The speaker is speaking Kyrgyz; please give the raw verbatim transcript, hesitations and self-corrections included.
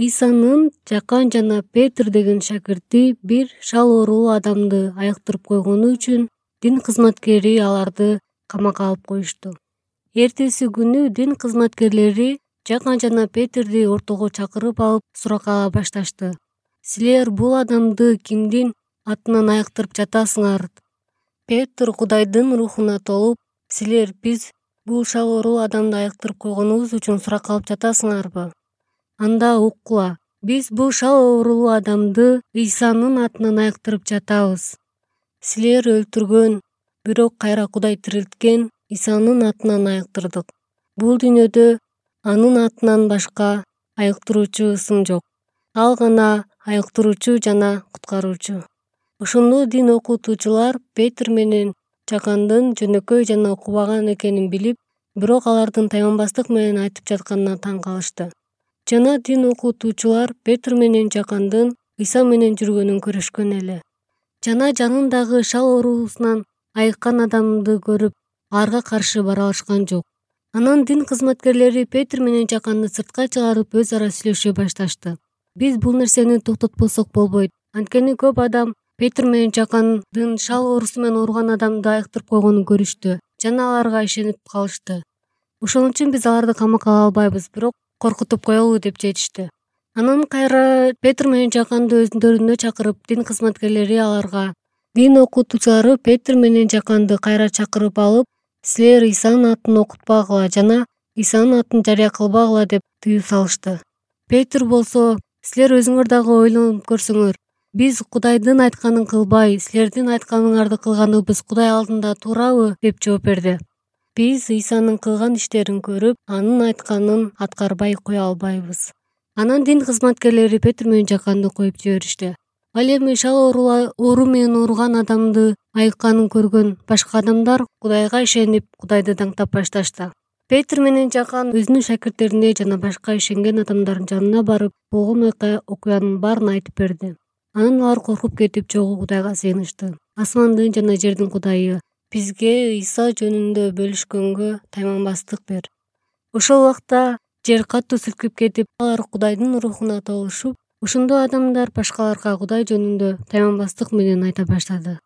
Ыйсанын жакан жана Петр деген шакирти бир шал оорулуу адамды айыктырып койгону үчүн дин кызматкери аларды камакка алып коюшту. Эртеси күнү дин кызматкерлери Жакан жана Петрди ортого чакырып алып суракка ала башташты. Силер бул адамды кимдин атынан айыктырып жатасыңар? Петр Кудайдын рухуна толуп: Силер биз бул шал оорулуу адамды айыктырып койгонубуз үчүн суракка алып жатасыңарбы? Анда уккула, биз бул шал оорулуу адамды Ыйсанын атынан айыктырып жатабыз. Силер өлтүргөн, бирок кайра Кудай тирилткен Ыйсанын атынан айыктырдык. Бул дүйнөдө анын атынан башка айыктыруучу ысым жок. Ал гана айыктыруучу жана куткаруучу. Ошондо дин окутуучулар Петр менен Жакандын жөнөкөй жана окубаган экенин билип, бирок алардын тайманбастык менен айтып жатканына таң калышты. Жана дин окутуучулар Петр менен Жакандын Ыйса менен жүргөнүн көрүшкөн эле. Жана жанындагы шал оорусунан айыккан адамды көрүп, аларга каршы бара алышкан жок. Анан дин кызматкерлери Петр менен Жаканды сыртка чыгарып өз ара сүйлөшө башташты. Биз бул нерсени токтотпосок болбойт. Анткени көп адам Петр менен Жакандын шал оорусу менен ооруган адамды айыктырып койгонун көрүштү жана аларга ишенип калышты. Ошон үчүн биз аларды камакка ала албайбыз, бирок коркутуп коелу деп жетишти. Анан кайра Петр менен Жаканды өздөрүнө чакырып, дин кызматкерлери аларга, дин окутуучулары Петр менен Жаканды кайра чакырып алып: Силер Ыйсанын атын окутпагыла жана Ыйсанын атын жарыя кылбагыла деп тыюу салышты. Петр болсо: Силер өзүңөр дагы ойлонуп көрсөңөр, биз Кудайдын айтканын кылбай, силердин айтканыңарды кылганыбыз Кудай алдында туурабы? деп жооп берди. Биз Ыйсанын кылган иштерин көрүп, анын айтканын аткарбай кое албайбыз. Анан дин кызматкерлери Петр менен Жаканды коюп жиберишти. Ал эми шал оору менен ооруган адамды айыкканын көргөн башка адамдар Кудайга ишенип, Кудайды даңктап башташты. Петр менен Жакан өзүнүн шакирттерине жана башка ишенген адамдардын жанына барып, болгон окуянын баарын айтып берди. Анан алар коркуп кетип, жогу Кудайга сыйынышты. Асмандын жана жердин Кудайы, бизге Ыйса жөнүндө бөлүшкөнгө тайманбастык бер. Ошол убакта жер катуу силкип кетип, алар Кудайдын рухуна толушуп, ошондо адамдар башкаларга Кудай жөнүндө тайманбастык менен айта баштады.